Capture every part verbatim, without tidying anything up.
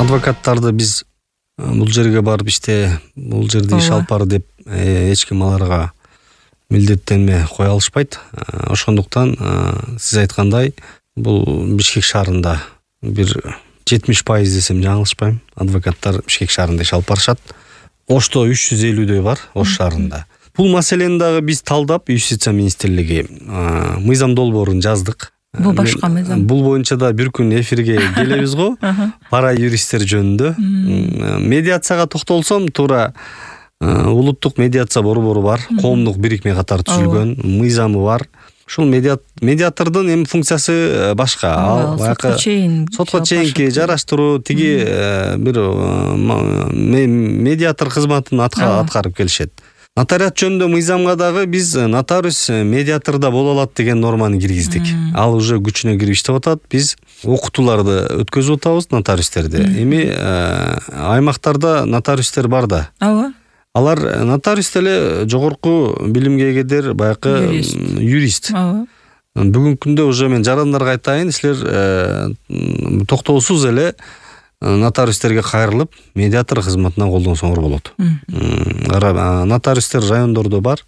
Адвокаттарды биз бул жерге барып иште, бул жерде иш алып бар деп эч ким аларга милдеттенме кое алышпайт. Ошондуктан сиз айткандай бул Бишкек шаарында бир жетимиш пайыз десем жаңылышпайм. Адвокаттар Бишкек шаарында иш алып барышат. Ошто үч жүз элүүдөй бар Ош шаарында. Бул маселени дагы биз талдап Юстиция министрлиги мыйзам долбоорун жаздык. Бул башка мыйзам. Бул боюнча да бир күн эфирге келебиз го. Пара юристтер жөнүндө. Медиацияга токтолсом, туура улуттук медиация борбору бар, коомдук бирикме катары түзүлгөн, мыйзамы бар. Ушул медиатордун эми функциясы башка. Ал сотко чейин сотко чейинки жараштыруу, тиги бир медиатор кызматын аткарып келишет. Нотариат жөнүндө мыйзамга дагы биз нотариус медиаторда боло алат деген норманы киргиздик. Ал уже күчүнө кирип иштеп атат. Биз окутууларды өткөзүп атабыз нотариустерди. Эми аймактарда нотариустер бар да. Ооба. Алар нотариус деле жогорку билимге эгедер, баягы юрист. Ооба. Бүгүнкү күндө уже мен жарандарга айтайын, силер токтоосуз эле нотариустерге кайрылып, медиатор кызматына колдонсоңор болот. Нотариустер райондордо бар.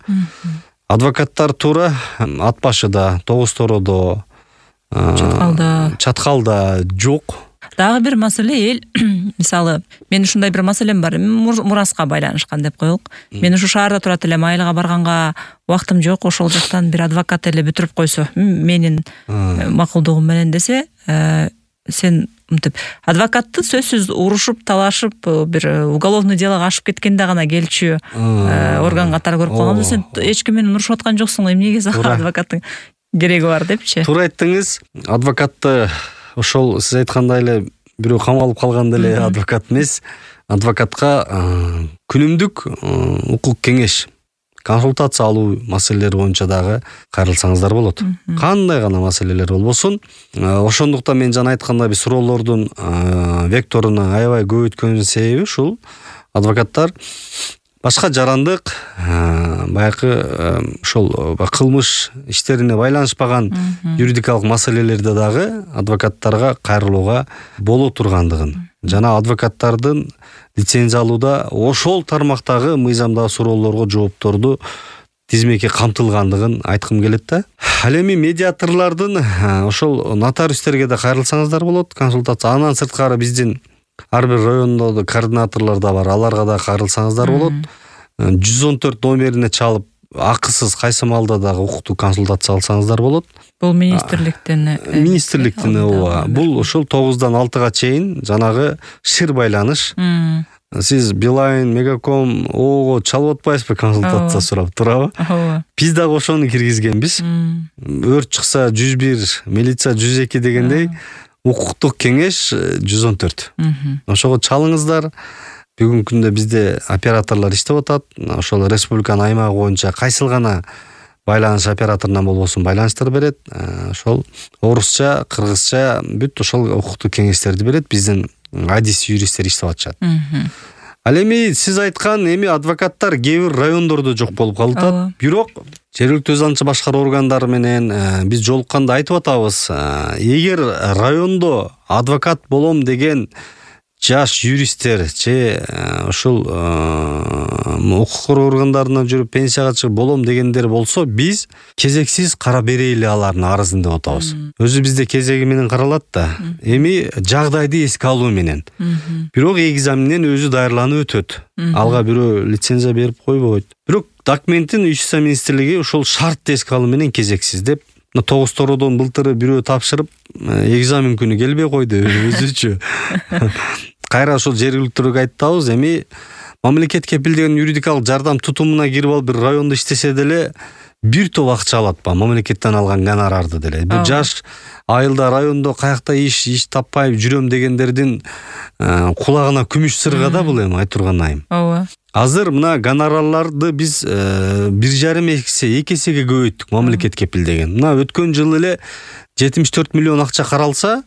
Адвокаттар туура Ат башыда, Тогуз Тородо, Чаткалда, Чаткалда жок. Дагы бир маселе эл, мисалы, мен ушундай бир маселем бар, мураска байланышкан деп коелук. Мен ушу шаарда турат элем, айылга барганга убактым жок, ошол жактан бир адвокат эле бүтүрүп койсо, менин макулдугум менен десе, сен мынтип адвокатты сөзсүз урушуп, талашып, бир уголовный делого ашып кеткенде гана келчү орган катары көрүп калганбыз. Сен эч ким менен урушуп аткан жоксуң, эмнеге сага адвокаттын кереги бар депчи. Туура айттыңыз. Адвокатты ошол сиз айткандай эле бирөө камалып калганда эле адвокат эмес. Адвокатка күнүмдүк укук кеңеш, консультация алуу маселелери боюнча дагы кайрылсаңыздар болот. Кандай гана маселелер болбосун. Ошондуктан мен жана айткандай биз суроолордун векторуну аябай көбөйткөнүн себеби ушул. Адвокаттар башка жарандык, баягы ошол кылмыш иштерине байланышпаган юридикалык маселелерде дагы адвокаттарга кайрылууга боло тургандыгын, жана адвокаттардын лицензия алууда ошол тармактагы мыйзамдагы суроолорго жоопторду тизмеке камтылгандыгын айткым келет да. Ал эми медиаторлордун ошол нотариустерге да кайрылсаңыздар болот, консультация. Андан сырткары биздин ар бир райондо координаторлор да бар, аларга да кайрылсаңыздар болот. жүз он төрт номерине чалып, акысыз кайсы маалда дагы укуктук консультация алсаңыздар болот. Бул министрликтен министрликтен ооба. Бул ошол тогуздан алтыга чейин жанагы шир байланыш. Сиз Билайн, Мегаком, ого чалып атпайсызбы консультация сурап, туурабы? Ооба. Биз дагы ошону киргизгенбиз. Өрт чыкса жүз бир, милиция жүз эки дегендей, укуктук кеңеш жүз он төрт. Ошого чалыңыздар. Бүгүнкү күндө бизде операторлор иштеп атат. Ошол республиканын аймагы боюнча кайсыл гана байланыш операторунан болбосун байланыштар берет. Ошол орусча, кыргызча бүт ошол укуктук кеңештерди берет. Биздин адис юристтер иштеп атышат. Ал эми сиз айткан эми адвокаттар кээ бир райондордо жок болуп калып, бирок жергиликтүү өз аңчы башкаруу органдары менен биз жолукканда айтып атабыз. Эгер райондо адвокат болом деген жаш юристтер же ушул укук коргоо органдарынан жүрүп пенсияга чыгып болом дегендер болсо, биз кезексиз кара берели алардын арызын деп атабыз. Өзү бизде кезеги менен каралат да. Эми жагдайды эске алуу менен. Бирок экзаменден өзү даярланып өтөт. Алга бирөө лицензия берип койбойт. Бирок документин Юстиция министрлиги ушул шартты эске алуу менен кезексиз деп Тогуз Тородон былтыры бирөө тапшырып, экзамен күнү келбей койду өзүчү. Кайра ошол жергиликтүүгө айтабыз, эми мамлекет кепилдеген юридикалык жардам тутумуна кирип алып бир райондо иштесе деле бир топ акча алат ба, мамлекеттен алган гонорарды деле. Бул жаш айылда райондо каякта иш иш таппай жүрөм дегендердин кулагына күмүш сырга да бул эми айтурган айым. Ооба. Азыр мына гонорарларды биз бир жарым эсе эки эсеге көбөйттүк, мамлекет кепилдеген. Мына өткөн жылы эле жетимиш төрт миллион акча каралса,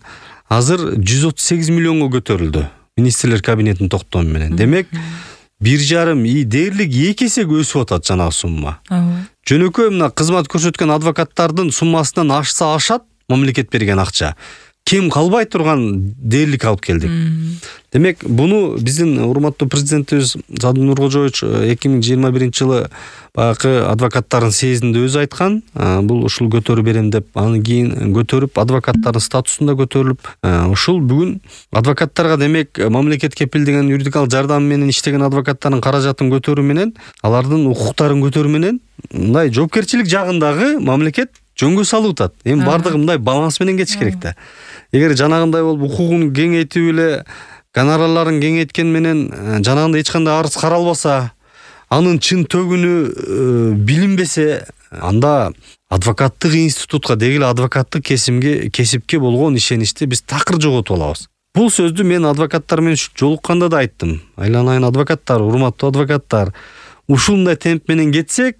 азыр жүз отуз сегиз миллионго көтөрүлдү. Министрлер кабинетинин токтому менен. Демек, бир жарым дээрлик эки эсеге өсүп атат жанагы сумма. Жөнөкөй мына кызмат көрсөткөн адвокаттардын суммасынан ашса ашат мамлекет берген акча. кем калбай турган дээрлик алып келдик. Демек буну биздин урматтуу президентибиз Садыр Нуркожоевич эки миң жыйырма биринчи жылы баягы адвокаттардын съездинде өзү айткан. Бул ушул көтөрүп берем деп, анан кийин көтөрүп адвокаттардын статусун да көтөрүлүп, ушул бүгүн адвокаттарга демек мамлекет кепилдеген юридикалык жардам менен иштеген адвокаттардын каражатын көтөрүү менен, алардын укуктарын көтөрүү менен мындай жоопкерчилик жагындагы мамлекет жөнгө салып атат. Эми бардыгы мындай баланс менен кетиш керек да. Эгер жанагындай болуп укугун кеңейтип эле гонорарларын кеңейткен менен жанагындай эч кандай арыз каралбаса, анын чын төгүнү билинбесе, анда адвокаттык институтка, деги эле адвокаттык кесимге, кесипке болгон ишеничти биз такыр жоготуп алабыз. Бул сөздү мен адвокаттар менен жолукканда да айттым. Айланайын адвокаттар, урматтуу адвокаттар, ушундай темп менен кетсек,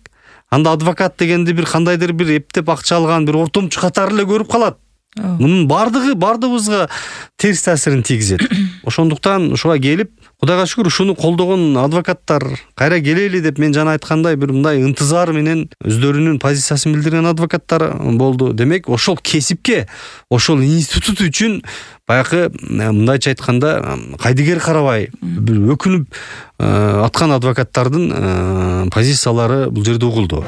анда адвокат дегенди бир кандайдыр бир эптеп акча алган бир ортомчу катары эле көрүп калат. Мунун бардыгы бардыгыбызга терс таасирин тийгизет. Ошондуктан ушуга келип, Кудайга шүгүр ушуну колдогон адвокаттар кайра келели деп мен жана айткандай бир мындай ынтызар менен өздөрүнүн позициясын билдирген адвокаттар болду. Демек, ошол кесипке, ошол институт үчүн баягы мындайча айтканда кайдыгер карабай, бир өкүнүп аткан адвокаттардын позициялары бул жерде угулду.